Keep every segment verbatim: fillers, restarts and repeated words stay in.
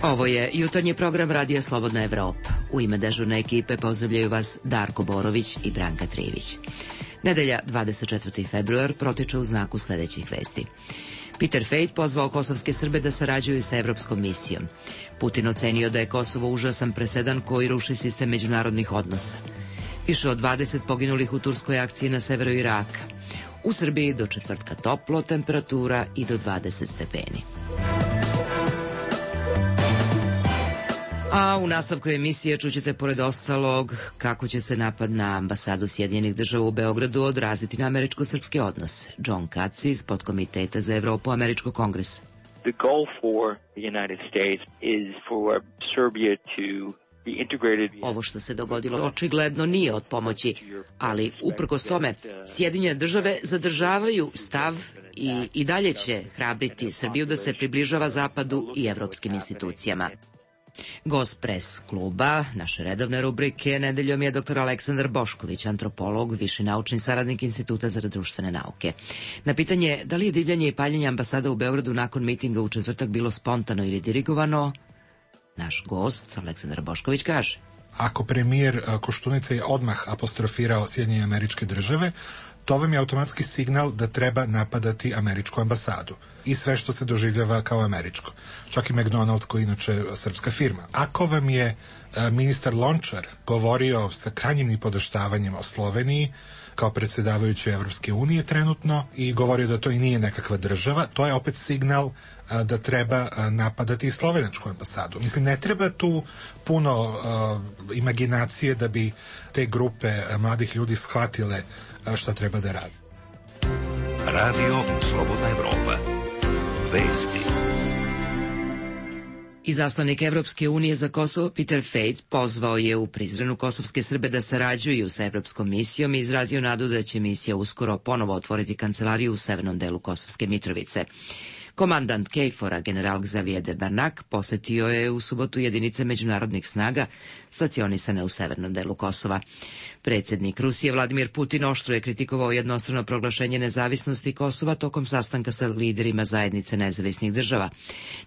Ovo je jutarnji program Radija Slobodna Evropa. U ime dežurne ekipe pozdravljaju vas Darko Borović i Branka Trivić. Nedelja, dvadeset četvrti februar, protiče u znaku sledećih vesti. Peter Fejt pozvao kosovske Srbe da sarađuju sa evropskom misijom. Putin ocenio da je Kosovo užasan presedan koji ruši sistem međunarodnih odnosa. Više od dvadeset poginulih u turskoj akciji na severu Iraka. U Srbiji do četvrtka toplo, temperatura i do dvadeset stepeni. A u nastavku emisije čućete pored ostalog kako će se napad na ambasadu Sjedinjenih država u Beogradu odraziti na američko-srpske odnose. John Katz iz podkomiteta za Evropu Američkog kongresa. The goal for the United States is for Serbia to be integrated. Ovo što se dogodilo očigledno nije od pomoći, ali uprkos tome Sjedinjene države zadržavaju stav i i dalje će hrabriti Srbiju da se približava Zapadu i evropskim institucijama. Gost pres kluba, naše redovne rubrike, nedeljom je doktor Aleksandar Bošković, antropolog, viši naučni saradnik Instituta za društvene nauke. Na pitanje da li je divljanje i paljenje ambasada u Beogradu nakon mitinga u četvrtak bilo spontano ili dirigovano, naš gost Aleksandar Bošković kaže: Ako premijer Koštunica je odmah apostrofirao Sjedinjene Američke Države, to vam je automatski signal da treba napadati američku ambasadu i sve što se doživljava kao američko. Čak i McDonald's, koji je inače srpska firma. Ako vam je ministar Lončar govorio sa krajnjim nipodaštavanjem o Sloveniji kao predsjedavajući Evropske unije trenutno i govorio da to i nije nekakva država, to je opet signal da treba napadati i slovenačku ambasadu. Mislim, ne treba tu puno uh, imaginacije da bi te grupe mladih ljudi shvatile šta treba da radi. Radio Slobodna Evropa. Vesti. Izaslanik Evropske unije za Kosovo Peter Fejt pozvao je u Prizrenu kosovske Srbe da sarađuju sa evropskom misijom i izrazio nadu da će misija uskoro ponovo otvoriti kancelariju u severnom delu Kosovske Mitrovice. Komandant Kejfora, general Xavier de Barnak, posetio je u subotu jedinice međunarodnih snaga stacionisane u severnom delu Kosova. Predsjednik Rusije Vladimir Putin oštro je kritikovao jednostrano proglašenje nezavisnosti Kosova tokom sastanka sa liderima zajednice nezavisnih država.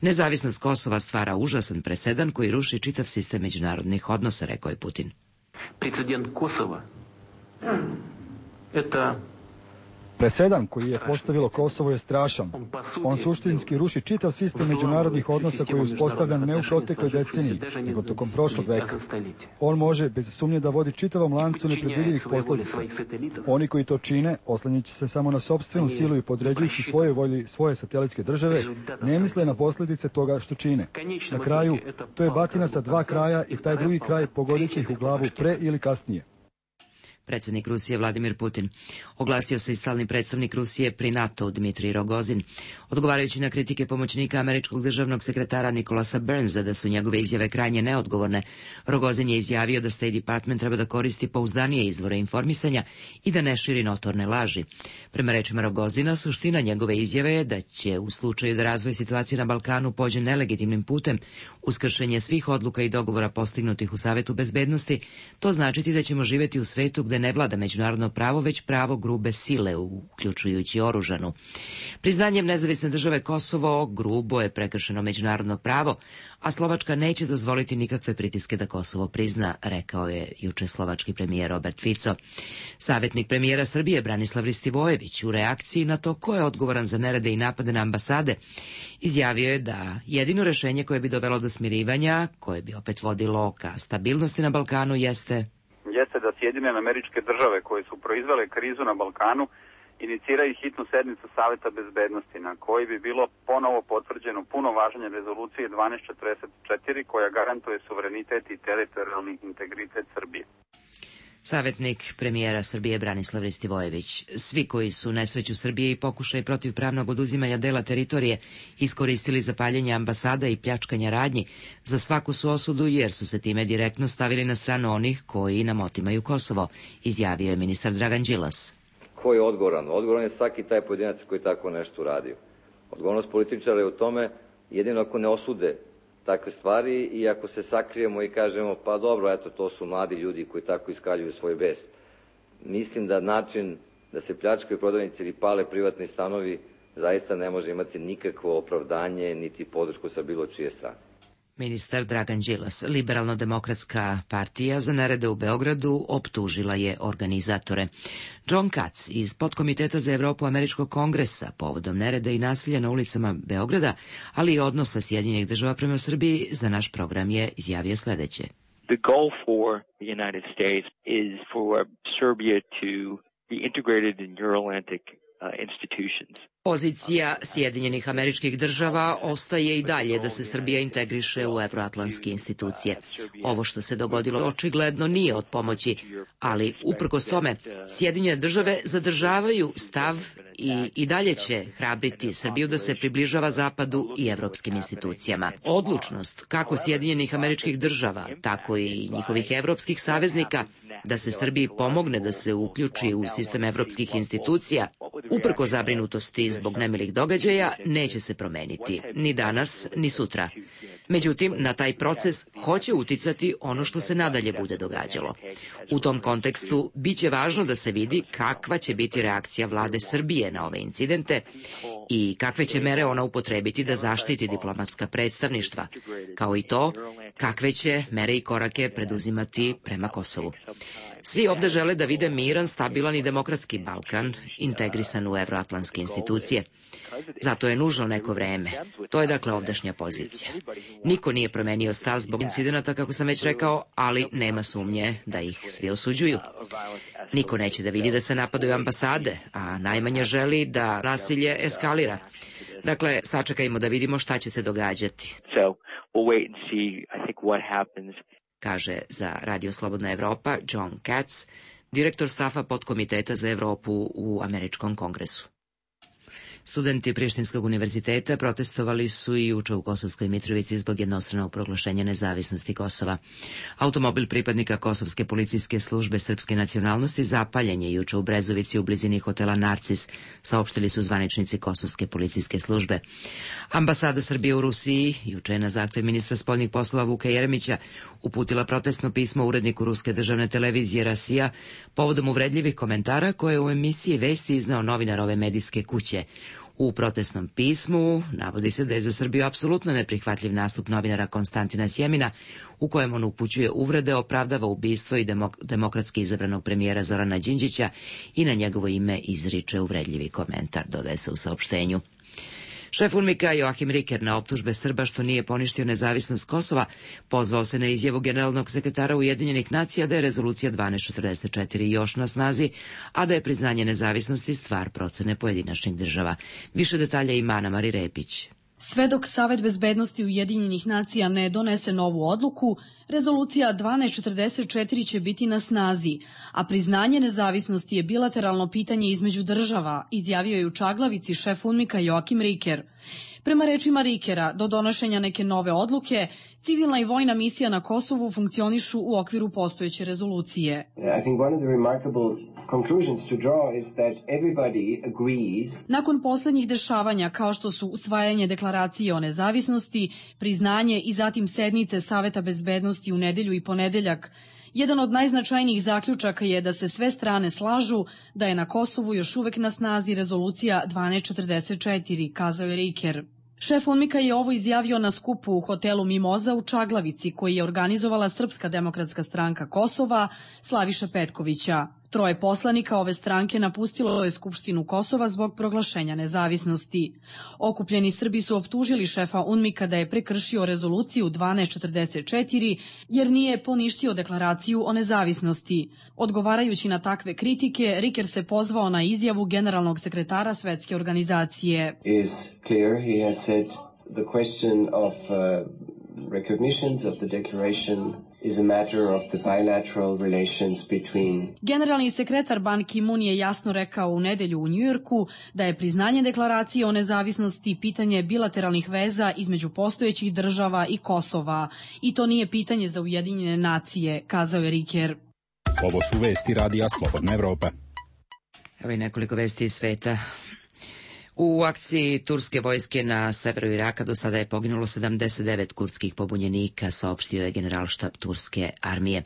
Nezavisnost Kosova stvara užasan presedan koji ruši čitav sistem međunarodnih odnosa, rekao je Putin. Precedent Kosova je Presedan koji je postavilo Kosovo je strašan. On suštinski ruši čitav sistem međunarodnih odnosa koji je uspostavljan ne u protekloj deceniji, nego tokom prošlog veka. On može, bez sumnje, da vodi čitavom lancu nepredvidivih posledica. Oni koji to čine, oslanjajući se samo na sopstvenu silu i podređujući svoje volji svoje satelitske države, ne misle na posljedice toga što čine. Na kraju, to je batina sa dva kraja i taj drugi kraj pogodit će ih u glavu pre ili kasnije. Predsjednik Rusije Vladimir Putin. Oglasio se i stalni predstavnik Rusije pri NATO Dmitrij Rogozin. Odgovarajući na kritike pomoćnika američkog državnog sekretara Nikolasa Burnsa da su njegove izjave krajnje neodgovorne, Rogozin je izjavio da State Department treba da koristi pouzdanije izvore informisanja i da ne širi notorne laži. Prema rečima Rogozina, suština njegove izjave je da će u slučaju da razvoj situacije na Balkanu pođe nelegitimnim putem uz kršenje svih odluka i dogovora postignutih u Savetu bezbednosti, to značiti da ćemo živjeti u svetu gde ne vlada međunarodno pravo, već pravo grube sile, uključujući oružanu. Priznanjem nezavisne države Kosovo grubo je prekršeno međunarodno pravo, a Slovačka neće dozvoliti nikakve pritiske da Kosovo prizna, rekao je juče slovački premijer Robert Fico. Savjetnik premijera Srbije Branislav Ristivojević u reakciji na to ko je odgovoran za nerede i napade na ambasade izjavio je da jedino rešenje koje bi dovelo do smirivanja, koje bi opet vodilo ka stabilnosti na Balkanu, jeste jeste da Sjedinjene Američke Države koje su proizvele krizu na Balkanu iniciraju hitnu sednicu Saveta bezbednosti na koji bi bilo ponovo potvrđeno puno važenje rezolucije dvanaest četrdeset četiri koja garantuje suverenitet i teritorijalni integritet Srbije. Savjetnik premijera Srbije Branislav Ristivojević. Svi koji su nesreću Srbije i pokušaj protivpravnog oduzimanja dela teritorije iskoristili za paljenje ambasada i pljačkanja radnji, za svaku su osudu jer su se time direktno stavili na stranu onih koji nam otimaju Kosovo, izjavio je ministar Dragan Đilas. Ko je odgovoran? Odgovoran je svaki taj pojedinac koji tako nešto uradio. Odgovornost političara je u tome jedino ako ne osude takve stvari i ako se sakrijemo i kažemo pa dobro, eto, to su mladi ljudi koji tako iskaljuju svoj bes. Mislim da način da se pljačkaju prodavnice ili pale privatni stanovi zaista ne može imati nikakvo opravdanje niti podršku sa bilo čije strane. Ministar Dragan Đilas, Liberalno-demokratska partija za nerede u Beogradu, optužila je organizatore. John Katz iz Podkomiteta za Evropu Američkog kongresa povodom nereda i nasilja na ulicama Beograda, ali i odnosa Sjedinjenih država prema Srbiji, za naš program je izjavio sledeće. The goal for the United States is for Serbia to be integrated in Euro-Atlantic uh, institutions. Pozicija Sjedinjenih Američkih Država ostaje i dalje da se Srbija integriše u evroatlantske institucije. Ovo što se dogodilo očigledno nije od pomoći, ali uprkos tome Sjedinjene države zadržavaju stav i i dalje će hrabriti Srbiju da se približava Zapadu i evropskim institucijama. Odlučnost kako Sjedinjenih Američkih Država, tako i njihovih evropskih saveznika da se Srbiji pomogne da se uključi u sistem evropskih institucija, uprko zabrinutosti zbog nemilih događaja, neće se promeniti, ni danas, ni sutra. Međutim, na taj proces hoće uticati ono što se nadalje bude događalo. U tom kontekstu biće važno da se vidi kakva će biti reakcija vlade Srbije na ove incidente i kakve će mere ona upotrebiti da zaštiti diplomatska predstavništva, kao i to kakve će mere i korake preduzimati prema Kosovu. Svi ovde žele da vide miran, stabilan i demokratski Balkan, integrisan u evroatlantske institucije. Zato je nužno neko vreme. To je dakle ovdašnja pozicija. Niko nije promenio stav zbog incidenata, kako sam već rekao, ali nema sumnje da ih svi osuđuju. Niko neće da vidi da se napadaju ambasade, a najmanje želi da nasilje eskalira. Dakle, sačekajmo da vidimo šta će se događati. Kaže za Radio Slobodna Evropa John Katz, direktor stafa Podkomiteta za Evropu u Američkom kongresu. Studenti Prištinskog univerziteta protestovali su i juče u Kosovskoj Mitrovici zbog jednostranog proglašenja nezavisnosti Kosova. Automobil pripadnika Kosovske policijske službe srpske nacionalnosti zapaljen je juče u Brezovici u blizini hotela Narcis, saopštili su zvaničnici Kosovske policijske službe. Ambasada Srbije u Rusiji juče je na zahtev ministra spoljnih poslova Vuka Jeremića uputila protestno pismo uredniku ruske državne televizije Rasija povodom uvredljivih komentara koje je u emisiji Vesti izneo novinar ove medijske kuće. U protestnom pismu navodi se da je za Srbiju apsolutno neprihvatljiv nastup novinara Konstantina Sjemina, u kojem on upućuje uvrede, opravdava ubistvo i demok demokratski izabranog premijera Zorana Đinđića i na njegovo ime izriče uvredljivi komentar, dodaje se u saopštenju. Šef UNMIK-a Joachim Ricker na optužbe Srba što nije poništio nezavisnost Kosova pozvao se na izjavu generalnog sekretara Ujedinjenih nacija da je rezolucija dvanaest četrdeset četiri još na snazi, a da je priznanje nezavisnosti stvar procene pojedinačnih država. Više detalja ima Ana Mari Repić. Sve dok Savet bezbednosti Ujedinjenih nacija ne donese novu odluku, rezolucija dvanaest četrdeset četiri će biti na snazi, a priznanje nezavisnosti je bilateralno pitanje između država, izjavio je u Čaglavici šef UNMIK-a Joachim Ricker. Prema rečima Rickera, do donošenja neke nove odluke, civilna i vojna misija na Kosovu funkcionišu u okviru postojeće rezolucije. Nakon poslednjih dešavanja, kao što su usvajanje deklaracije o nezavisnosti, priznanje i zatim sednice Saveta bezbednosti u nedelju i ponedeljak, jedan od najznačajnijih zaključaka je da se sve strane slažu da je na Kosovu još uvek na snazi rezolucija dvanaest četrdeset četiri, kazao je Ricker. Šef UNMIK-a je ovo izjavio na skupu u hotelu Mimoza u Čaglavici, koji je organizovala Srpska demokratska stranka Kosova Slaviša Petkovića. Troje poslanika ove stranke napustilo je Skupštinu Kosova zbog proglašenja nezavisnosti. Okupljeni Srbi su optužili šefa UNMIK-a da je prekršio rezoluciju dvanaest četrdeset četiri jer nije poništio deklaraciju o nezavisnosti. Odgovarajući na takve kritike, Ricker se pozvao na izjavu generalnog sekretara Svetske organizacije. Is clear, he has said the question of uh, recognitions of the declaration is a matter of the bilateral relations between... Generalni sekretar Ban Ki-moon je jasno rekao u nedelju u Njujorku da je priznanje deklaracije o nezavisnosti pitanje bilateralnih veza između postojećih država i Kosova. I to nije pitanje za Ujedinjene nacije, kazao je Ricker. Ovo su vesti Radija Slobodna Evropa. Evo i nekoliko vesti iz sveta. U akciji turske vojske na severu Iraka do sada je poginulo sedamdeset devet kurdskih pobunjenika, saopštio je generalštab turske armije.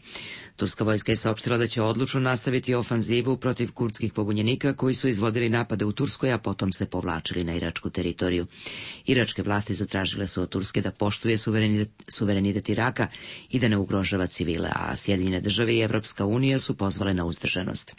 Turska vojska je saopštila da će odlučno nastaviti ofanzivu protiv kurdskih pobunjenika koji su izvodili napade u Turskoj, a potom se povlačili na iračku teritoriju. Iračke vlasti zatražile su od Turske da poštuje suverenitet, suverenitet Iraka i da ne ugrožava civile, a Sjedinjene države i Evropska unija su pozvale na uzdržanost.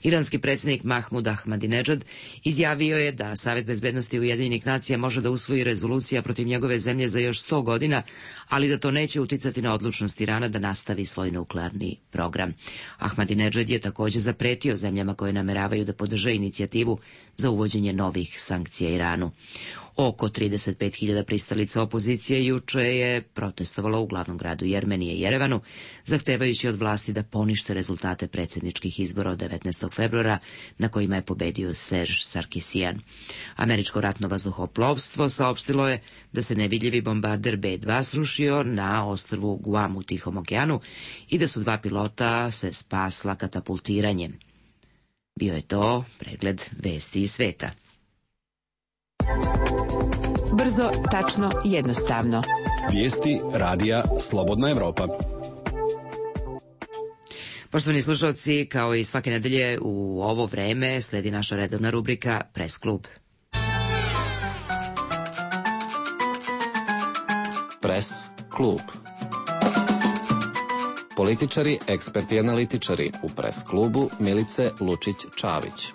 Iranski predsjednik Mahmud Ahmadinejad izjavio je da Savet bezbednosti Ujedinjenih nacija može da usvoji rezolucija protiv njegove zemlje za još sto godina, ali da to neće uticati na odlučnost Irana da nastavi svoj nuklearni program. Ahmadinejad je također zapretio zemljama koje nameravaju da podrže inicijativu za uvođenje novih sankcija Iranu. Oko trideset pet hiljada pristalica opozicije juče je protestovalo u glavnom gradu Jermenije, Jerevanu, zahtevajući od vlasti da ponište rezultate predsjedničkih izbora od devetnaestog februara na kojima je pobedio Serge Sarkisian. Američko ratno vazduhoplovstvo saopštilo je da se nevidljivi bombarder be dva srušio na ostrvu Guam u Tihom okeanu i da su dva pilota se spasla katapultiranjem. Bio je to pregled vesti iz sveta. Brzo, tačno i jednostavno. Vijesti radija Slobodna Evropa. Poštovani slušalci, kao i svake nedelje u ovo vreme sledi naša redovna rubrika Press klub. Press klub. Političari, eksperti i analitičari u Press klubu Milice Lučić-Čavić.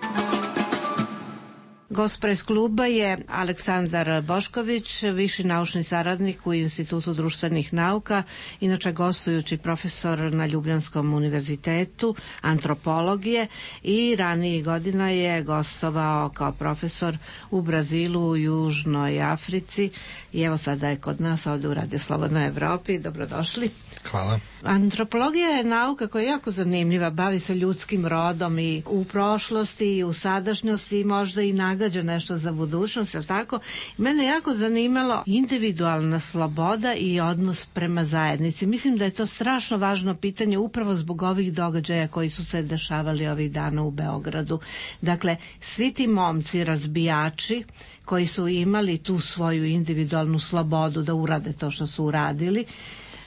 Gost Press kluba je Aleksandar Bošković, viši naučni saradnik u Institutu društvenih nauka, inače gostujući profesor na Ljubljanskom univerzitetu antropologije i ranijih godina je gostovao kao profesor u Brazilu, u Južnoj Africi i evo sada je kod nas ovdje u Radio Slobodnoj Evropi. Dobrodošli. Hvala. Antropologija je nauka koja je jako zanimljiva, bavi se ljudskim rodom i u prošlosti i u sadašnjosti i možda i nagađa nešto za budućnost, jel tako? Mene je jako zanimalo individualna sloboda i odnos prema zajednici. Mislim da je to strašno važno pitanje upravo zbog ovih događaja koji su se dešavali ovih dana u Beogradu. Dakle, svi ti momci, razbijači, koji su imali tu svoju individualnu slobodu da urade to što su uradili,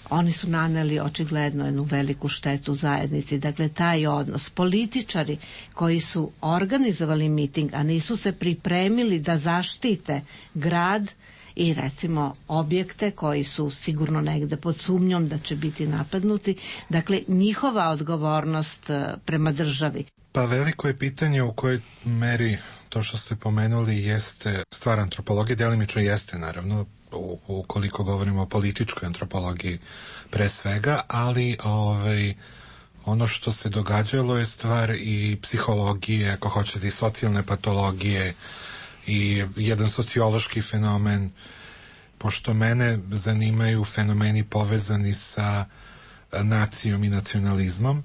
oni su naneli očigledno jednu veliku štetu zajednici. Dakle, taj odnos. Političari koji su organizovali miting, a nisu se pripremili da zaštite grad i recimo objekte koji su sigurno negde pod sumnjom da će biti napadnuti. Dakle, njihova odgovornost prema državi. Pa veliko je pitanje u kojoj meri to što ste pomenuli jeste stvar antropologije, delimično jeste naravno, ukoliko govorimo o političkoj antropologiji pre svega, ali ovaj, ono što se događalo je stvar i psihologije, ako hoćete i socijalne patologije i jedan sociološki fenomen, pošto mene zanimaju fenomeni povezani sa nacijom i nacionalizmom.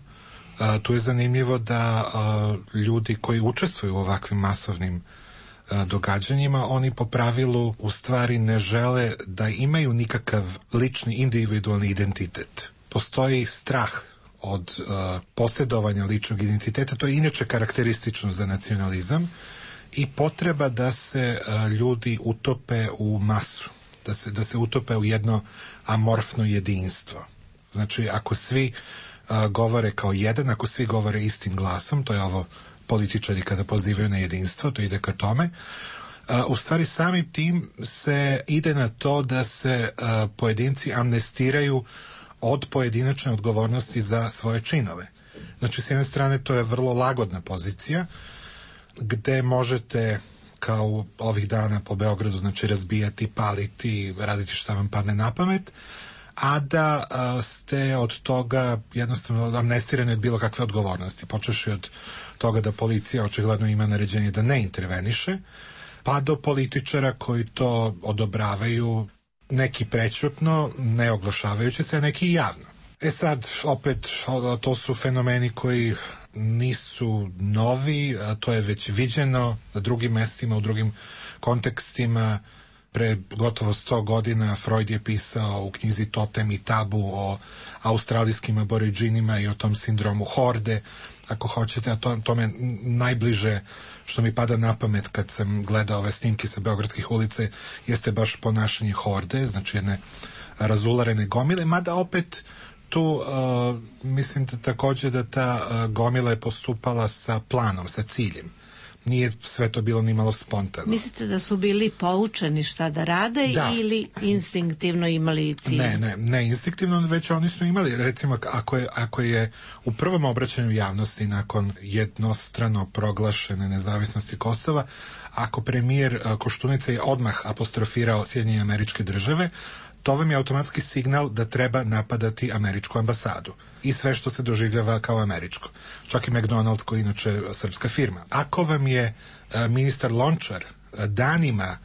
Uh, tu je zanimljivo da uh, ljudi koji učestvuju u ovakvim masovnim uh, događanjima, oni po pravilu u stvari ne žele da imaju nikakav lični individualni identitet. Postoji strah od uh, posjedovanja ličnog identiteta, to je inače karakteristično za nacionalizam, i potreba da se uh, ljudi utope u masu, da se, da se utope u jedno amorfno jedinstvo. Znači, ako svi Uh, govore kao jedan, ako svi govore istim glasom, to je ovo političari kada pozivaju na jedinstvo, to ide ka tome, uh, u stvari samim tim se ide na to da se uh, pojedinci amnestiraju od pojedinačne odgovornosti za svoje činove. Znači, s jedne strane to je vrlo lagodna pozicija gde možete kao ovih dana po Beogradu, znači razbijati, paliti, raditi šta vam padne na pamet, a da a, ste od toga jednostavno amnestirani od bilo kakve odgovornosti, počevši od toga da policija očigledno ima naređenje da ne interveniše, pa do političara koji to odobravaju, neki prećutno, ne oglašavajući se, neki javno. E sad, opet, to su fenomeni koji nisu novi, a to je već viđeno na drugim mestima, u drugim kontekstima. Pre gotovo sto godina Freud je pisao u knjizi Totem i tabu o australijskim aboriđinima i o tom sindromu horde, ako hoćete, a to, to me najbliže što mi pada na pamet kad sam gledao ove snimke sa beogradskih ulica jeste baš ponašanje horde, znači jedne razularene gomile, mada opet tu uh, mislim da takođe da ta uh, gomila je postupala sa planom, sa ciljem. Nije sve to bilo ni malo spontano. Mislite da su bili poučeni šta da rade da. Ili instinktivno imali cilj? Ne, ne, ne instinktivno, već oni su imali, recimo ako je, ako je u prvom obraćanju javnosti nakon jednostrano proglašene nezavisnosti Kosova, ako premijer Koštunica je odmah apostrofirao Sjedinjene Američke Države, to vam je automatski signal da treba napadati američku ambasadu i sve što se doživljava kao američko. Čak i McDonald's, koji inače srpska firma. Ako vam je ministar Lončar danima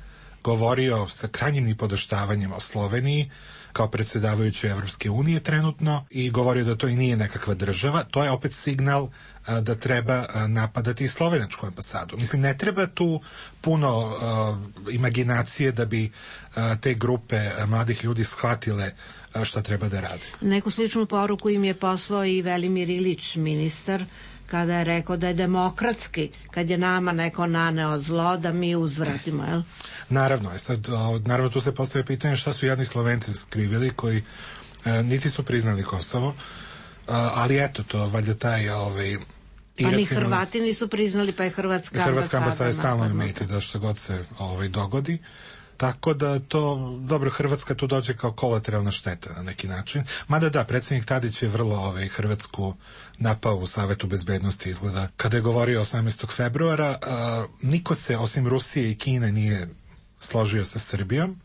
govorio sa krajnjim nipodaštavanjem o Sloveniji kao predsjedavajući Evropske unije trenutno i govorio da to i nije nekakva država, to je opet signal a, da treba a, napadati i slovenačku ambasadu. Mislim, ne treba tu puno a, imaginacije da bi a, te grupe a, mladih ljudi shvatile a, šta treba da rade. Neku sličnu poruku im je poslao i Velimir Ilić, ministar, kada je rekao da je demokratski, kad je nama neko naneo zlo, da mi uzvratimo, jel? Naravno, je sad, naravno tu se postavlja pitanje šta su jadni Slovenci skrivili koji e, niti su priznali Kosovo, a, ali eto to, valjda taj ovaj, pa ni Hrvati nisu priznali, pa je Hrvatska ambasada. Hrvatska ambasada je stalno imejte da što god se ovaj, dogodi. Tako da to, dobro, Hrvatska tu dođe kao kolateralna šteta na neki način. Mada da, predsjednik Tadić je vrlo ovaj, Hrvatsku napao u Savetu bezbednosti, izgleda. Kada je govorio osamnaestog februara, a, niko se, osim Rusije i Kine, nije složio sa Srbijom.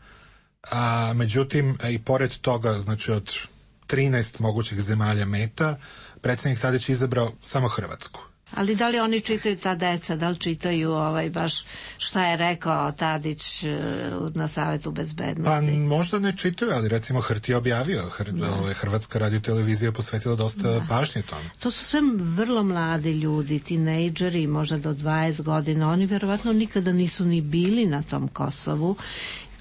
A, međutim, i pored toga, znači od trinaest mogućih zemalja meta, predsjednik Tadić je izabrao samo Hrvatsku. Ali da li oni čitaju, ta deca, da li čitaju ovaj, baš šta je rekao Tadić na Savetu bezbednosti? Pa možda ne čitaju, ali recimo Hrt je objavio, Hr, ovaj, Hrvatska radiotelevizija posvetila dosta da. pažnje tome. To su sve vrlo mladi ljudi, tinejdžeri, možda do dvadeset godina, oni verovatno nikada nisu ni bili na tom Kosovu.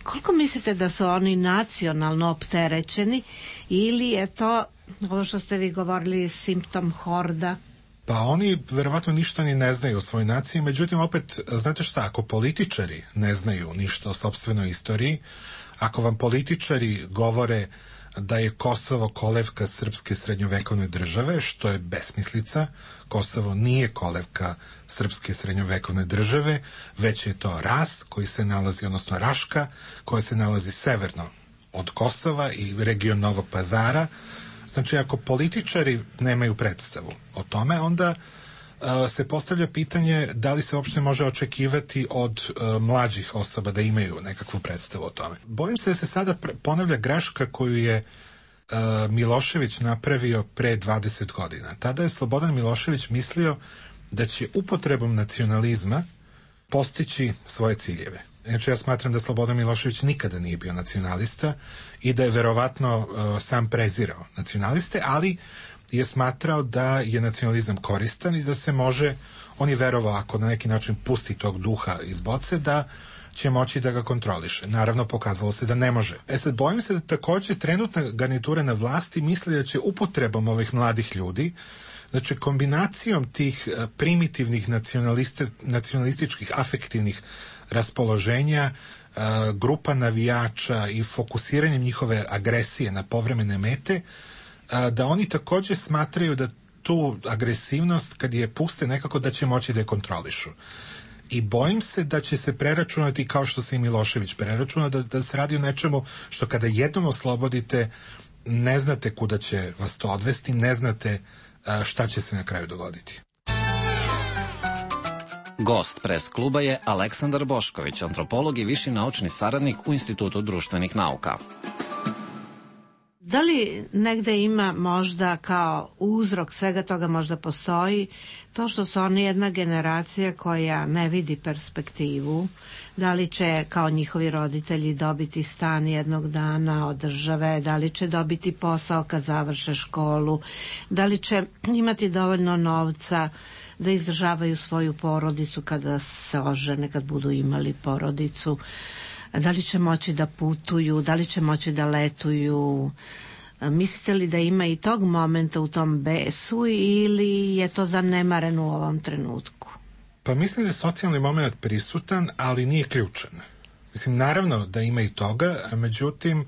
Koliko mislite da su oni nacionalno opterećeni ili je to, ovo što ste vi govorili, simptom horda? Pa oni verovatno ništa ni ne znaju o svojoj naciji, međutim opet, znate šta, ako političari ne znaju ništa o sopstvenoj istoriji, ako vam političari govore da je Kosovo kolevka srpske srednjovekovne države, što je besmislica, Kosovo nije kolevka srpske srednjovekovne države, već je to Ras koji se nalazi, odnosno Raška, koja se nalazi severno od Kosova i region Novog Pazara. Znači, ako političari nemaju predstavu o tome, onda uh, se postavlja pitanje da li se uopšte može očekivati od uh, mlađih osoba da imaju nekakvu predstavu o tome. Bojim se da se sada ponavlja greška koju je uh, Milošević napravio pre dvadeset godina. Tada je Slobodan Milošević mislio da će upotrebom nacionalizma postići svoje ciljeve. Znači, ja smatram da Slobodan Milošević nikada nije bio nacionalista i da je verovatno uh, sam prezirao nacionaliste, ali je smatrao da je nacionalizam koristan i da se može, on je verovao ako na neki način pusti tog duha iz boce, da će moći da ga kontroliše. Naravno, pokazalo se da ne može. E sad, bojim se da takođe trenutna garnitura na vlasti misli da će upotrebom ovih mladih ljudi, znači kombinacijom tih uh, primitivnih nacionalističkih afektivnih raspoloženja, uh, grupa navijača i fokusiranjem njihove agresije na povremene mete, uh, da oni takođe smatraju da tu agresivnost, kad je puste nekako, da će moći da je kontrolišu. I bojim se da će se preračunati kao što se i Milošević preračuna, da, da se radi o nečemu što kada jednom oslobodite, ne znate kuda će vas to odvesti, ne znate uh, šta će se na kraju dogoditi. Gost pres kluba je Aleksandar Bošković, antropolog i viši naučni saradnik u Institutu društvenih nauka. Da li negde ima možda kao uzrok svega toga možda postoji to što su oni jedna generacija koja ne vidi perspektivu, da li će kao njihovi roditelji dobiti stan jednog dana od države, da li će dobiti posao kad završe školu, da li će imati dovoljno novca da izdržavaju svoju porodicu kada se ožene, kad budu imali porodicu. Da li će moći da putuju, da li će moći da letuju? Mislite li da ima i tog momenta u tom besu ili je to zanemareno u ovom trenutku? Pa mislim da je socijalni moment prisutan, ali nije ključan. Mislim, naravno da ima i toga, a međutim,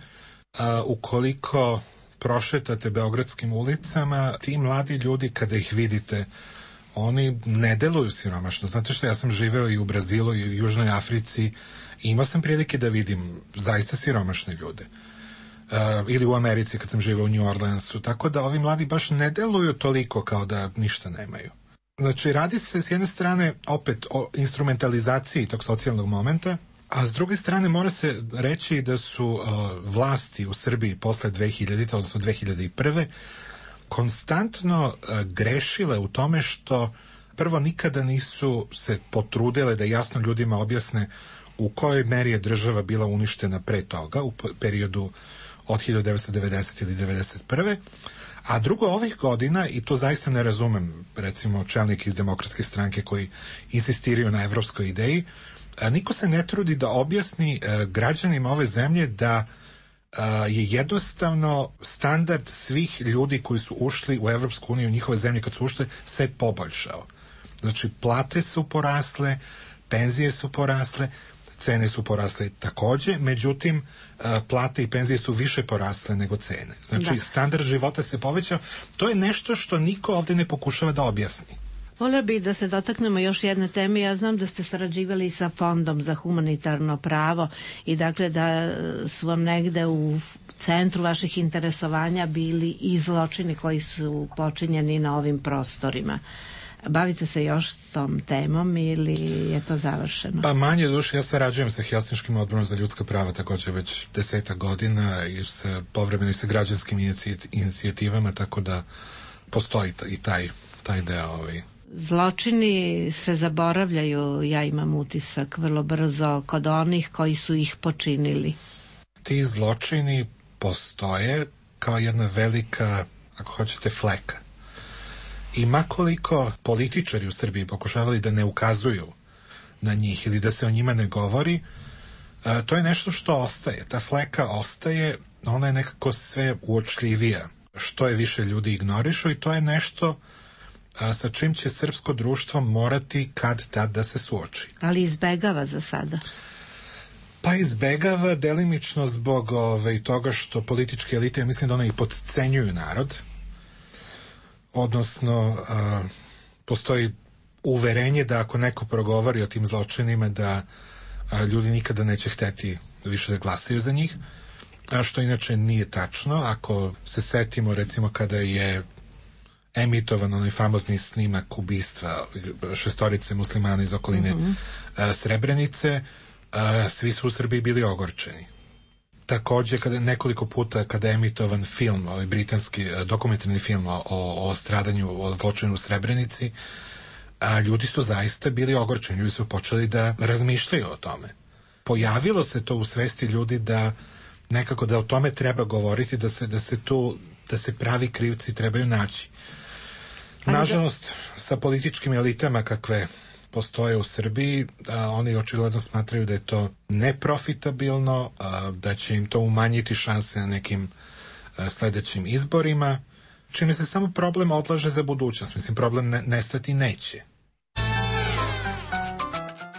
a, ukoliko prošetate beogradskim ulicama, ti mladi ljudi kada ih vidite, oni ne deluju siromašno. Znate što, ja sam živeo i u Brazilu i u Južnoj Africi i imao sam prilike da vidim zaista siromašne ljude. Uh, ili u Americi kad sam živeo u New Orleansu, tako da ovi mladi baš ne deluju toliko kao da ništa nemaju. Znači, radi se s jedne strane opet o instrumentalizaciji tog socijalnog momenta, a s druge strane mora se reći da su uh, vlasti u Srbiji posle dve hiljadite, odnosno dve hiljade prve konstantno uh, grešile u tome što prvo nikada nisu se potrudile da jasno ljudima objasne u kojoj meri je država bila uništena pre toga, u periodu od hiljadu devetsto devedesete ili devedeset prve. A drugo, ovih godina, i to zaista ne razumem, recimo čelnik iz Demokratske stranke koji insistiraju na evropskoj ideji, niko se ne trudi da objasni građanima ove zemlje da je jednostavno standard svih ljudi koji su ušli u Evropsku uniju, njihove zemlje kad su ušli, se poboljšao. Znači, plate su porasle, penzije su porasle, cene su porasle takođe, međutim, plate i penzije su više porasle nego cene. Znači, da. Standard života se povećao. To je nešto što niko ovde ne pokušava da objasni. Volio bih da se dotaknemo još jedne teme. Ja znam da ste sarađivali sa Fondom za humanitarno pravo i dakle da su vam negde u centru vaših interesovanja bili i zločini koji su počinjeni na ovim prostorima. Bavite se još s tom temom ili je to završeno? Pa manje duše, ja sarađujem sa Helsinškim odborom za ljudska prava takođe već deseta godina i sa povremeno i sa građanskim inicijativama, tako da postoji i taj, taj deo. Ovaj. Zločini se zaboravljaju, ja imam utisak, vrlo brzo kod onih koji su ih počinili. Ti zločini postoje kao jedna velika, ako hoćete, fleka. I makoliko političari u Srbiji pokušavali da ne ukazuju na njih ili da se o njima ne govori, to je nešto što ostaje. Ta fleka ostaje, ona je nekako sve uočljivija. Što je više ljudi ignorišu i to je nešto sa čim će srpsko društvo morati kad tad da se suoči. Ali izbegava za sada? Pa izbegava delimično zbog ove, toga što političke elite, ja mislim da one i podcenjuju narod, odnosno a, postoji uverenje da ako neko progovori o tim zločinima da a, ljudi nikada neće hteti više da glasaju za njih, a što inače nije tačno. Ako se setimo recimo kada je emitovan onaj famozni snimak ubistva šestorice muslimana iz okoline mm-hmm. a, Srebrenice, a, svi su u Srbiji bili ogorčeni. Takođe, kada nekoliko puta kada je emitovan film, ovaj britanski dokumentarni film o, o stradanju, o zločinu u Srebrenici, a, ljudi su zaista bili ogorčeni, ljudi su počeli da razmišljaju o tome. Pojavilo se to u svesti ljudi da nekako da o tome treba govoriti, da se, da se tu, da se pravi krivci trebaju naći. Nažalost, sa političkim elitama kakve postoje u Srbiji, a, oni očigledno smatraju da je to neprofitabilno, a, da će im to umanjiti šanse na nekim a, sledećim izborima, čime se samo problem odlaže za budućnost. Mislim, problem ne, nestati neće.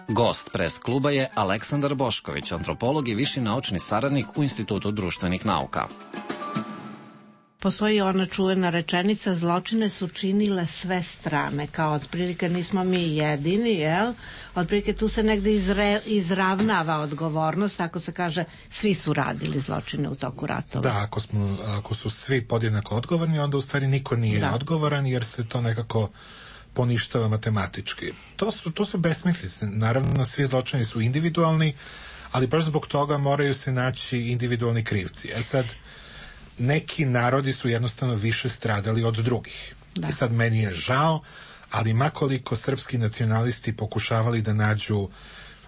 Gost pres kluba je Aleksandar Bošković, antropolog i viši naučni saradnik u Institutu društvenih nauka. Postoji ona čuvena rečenica, zločine su činile sve strane, kao otprilike nismo mi jedini, jel? Otprilike tu se negde izre, izravnava odgovornost, ako se kaže svi su radili zločine u toku ratova. Da, ako, smo, ako su svi podjednako odgovorni, onda u stvari niko nije da. odgovoran, jer se to nekako poništava matematički. To su, to su besmislice. Naravno, svi zločini su individualni, ali baš zbog toga moraju se naći individualni krivci. E sad, neki narodi su jednostavno više stradali od drugih. Da. I sad meni je žao, ali makoliko srpski nacionalisti pokušavali da nađu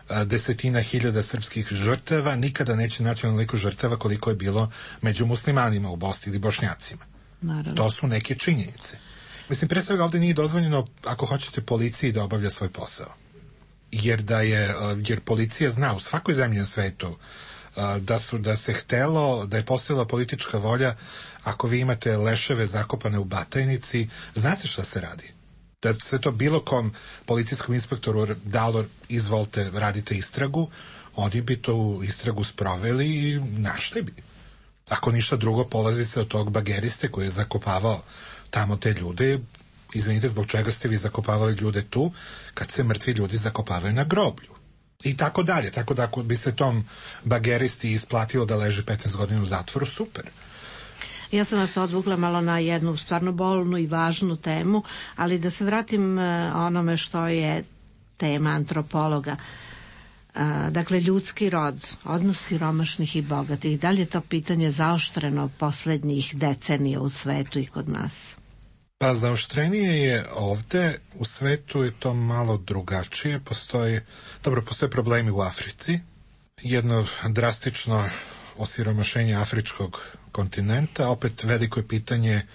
a, desetina hiljada srpskih žrtava, nikada neće naći onoliko žrtava koliko je bilo među muslimanima u Bosni ili Bošnjacima. Naravno. To su neke činjenice. Mislim, pre svega ovde nije dozvoljeno, ako hoćete, policiji da obavlja svoj posao. jer da je, jer policija zna u svakoj zemlji na svetu da su, da se htelo, da je postojala politička volja, ako vi imate leševe zakopane u Batajnici, zna se šta se radi. Da se to bilo kom policijskom inspektoru dalo, izvolite, radite istragu, oni bi tu istragu sproveli i našli bi. Ako ništa drugo, polazi se od tog bageriste koji je zakopavao tamo te ljude. Izvinite, zbog čega ste vi zakopavali ljude tu, kad se mrtvi ljudi zakopavaju na groblju. I tako dalje. Tako da ako bi se tom bageristi isplatilo da leži petnaest godina u zatvoru, super. Ja sam vas odvukla malo na jednu stvarno bolnu i važnu temu, ali da se vratim onome što je tema antropologa. Dakle, ljudski rod, odnos siromašnih i bogatih, da li je to pitanje zaoštreno poslednjih decenija u svetu i kod nas? Pa zaoštrenije je ovde, u svetu je to malo drugačije, postoji, dobro, postoje problemi u Africi, jedno drastično osiromašenje afričkog kontinenta, opet veliko je pitanje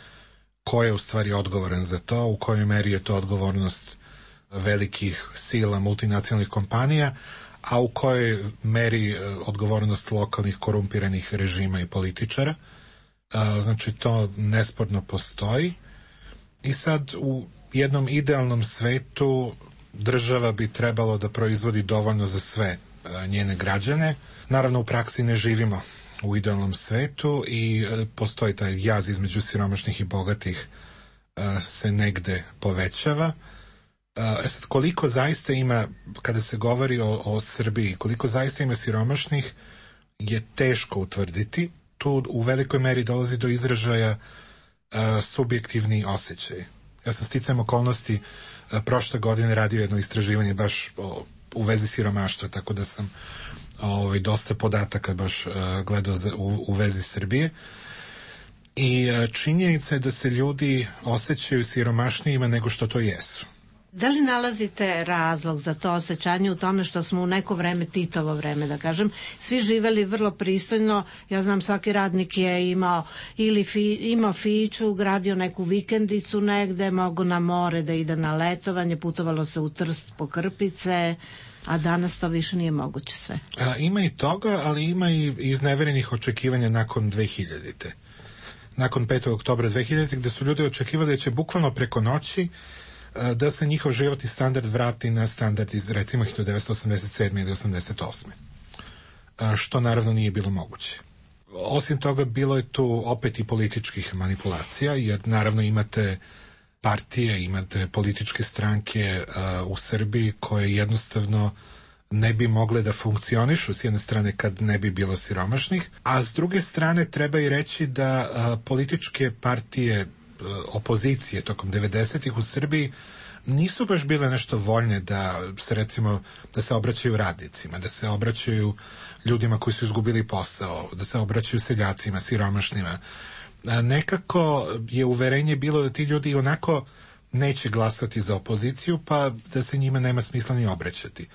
ko je u stvari odgovoran za to, u kojoj meri je to odgovornost velikih sila multinacionalnih kompanija, a u kojoj meri odgovornost lokalnih korumpiranih režima i političara. Znači to nesporno postoji. I sad u jednom idealnom svetu država bi trebalo da proizvodi dovoljno za sve njene građane. Naravno u praksi ne živimo u idealnom svetu i postoji taj jaz između siromašnih i bogatih se negde povećava. E sad, koliko zaista ima, kada se govori o, o Srbiji, koliko zaista ima siromašnih je teško utvrditi. Tu u velikoj meri dolazi do izražaja Uh, subjektivni osjećaj. Ja sam sticajem okolnosti uh, prošle godine radio jedno istraživanje baš o, u vezi siromaštva, tako da sam ovaj, dosta podataka baš uh, gledao za, u, u vezi Srbije. I uh, činjenica je da se ljudi osjećaju siromašnijima nego što to jesu. Da li nalazite razlog za to osjećanje u tome što smo u neko vreme, Titovo vreme da kažem, svi živeli vrlo pristojno? Ja znam, svaki radnik je imao ili fi, imao fiću, gradio neku vikendicu negde, mogo na more da ide na letovanje, putovalo se u Trst po krpice, a danas to više nije moguće sve. A, ima i toga, ali ima i izneverenih očekivanja nakon dve hiljadite. Nakon petog oktobra dve hiljadite, gde su ljudi očekivali da će bukvalno preko noći da se njihov životni standard vrati na standard iz recimo hiljadu devetsto osamdeset sedme ili osamdeset osme što naravno nije bilo moguće. Osim toga bilo je tu opet i političkih manipulacija, jer naravno imate partije, imate političke stranke uh, u Srbiji koje jednostavno ne bi mogle da funkcionišu s jedne strane kad ne bi bilo siromašnih, a s druge strane treba i reći da uh, političke partije opozicije tokom devedesetih u Srbiji nisu baš bile nešto voljne da se recimo da se obraćaju radnicima, da se obraćaju ljudima koji su izgubili posao, da se obraćaju seljacima, siromašnima. Nekako je uverenje bilo da ti ljudi onako neće glasati za opoziciju, pa da se njima nema smisla ni obraćati.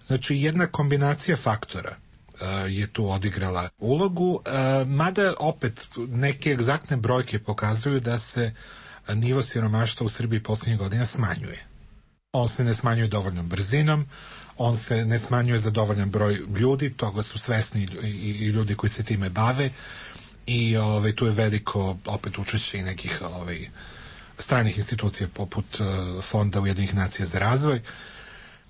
Znači jedna kombinacija faktora je tu odigrala ulogu, mada opet neke egzaktne brojke pokazuju da se nivo siromaštva u Srbiji posljednjih godina smanjuje. On se ne smanjuje dovoljnom brzinom, on se ne smanjuje za dovoljan broj ljudi, toga su svesni i, i ljudi koji se time bave i ovaj, tu je veliko opet učešće i nekih ovaj, stranih institucija poput uh, Fonda Ujedinjenih nacija za razvoj.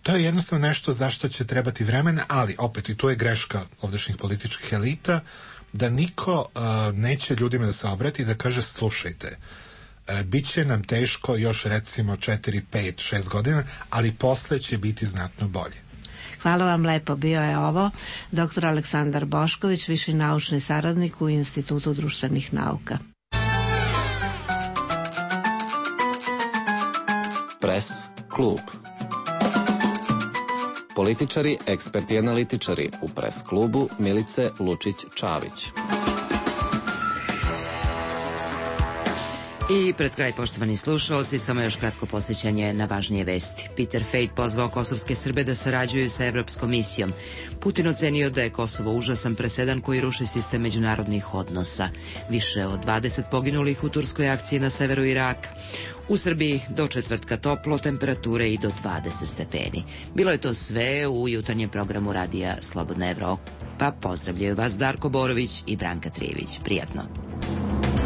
To je jednostavno nešto zašto će trebati vremena, ali opet i tu je greška ovdašnjih političkih elita, da niko uh, neće ljudima da se obrati i da kaže slušajte, uh, bit će nam teško još recimo četiri, pet, šest godina, ali posle će biti znatno bolje. Hvala vam lepo, bio je ovo doktor Aleksandar Bošković, viši naučni saradnik u Institutu društvenih nauka. Pres klub. Političari, eksperti i analitičari u Pres klubu Milice Lučić-Čavić. I pred kraj, poštovani slušalci, samo još kratko posjećanje na važnije vesti. Peter Fejt pozvao kosovske Srbe da sarađuju sa Evropskom misijom. Putin ocenio da je Kosovo užasan presedan koji ruši sistem međunarodnih odnosa. Više od dvadeset poginulih u turskoj akciji na severu Iraka. U Srbiji do četvrtka toplo, temperature i do dvadeset stepeni. Bilo je to sve u jutarnjem programu radija Slobodna Evropa. Pa pozdravljaju vas Darko Borović i Branka Trijević. Prijatno.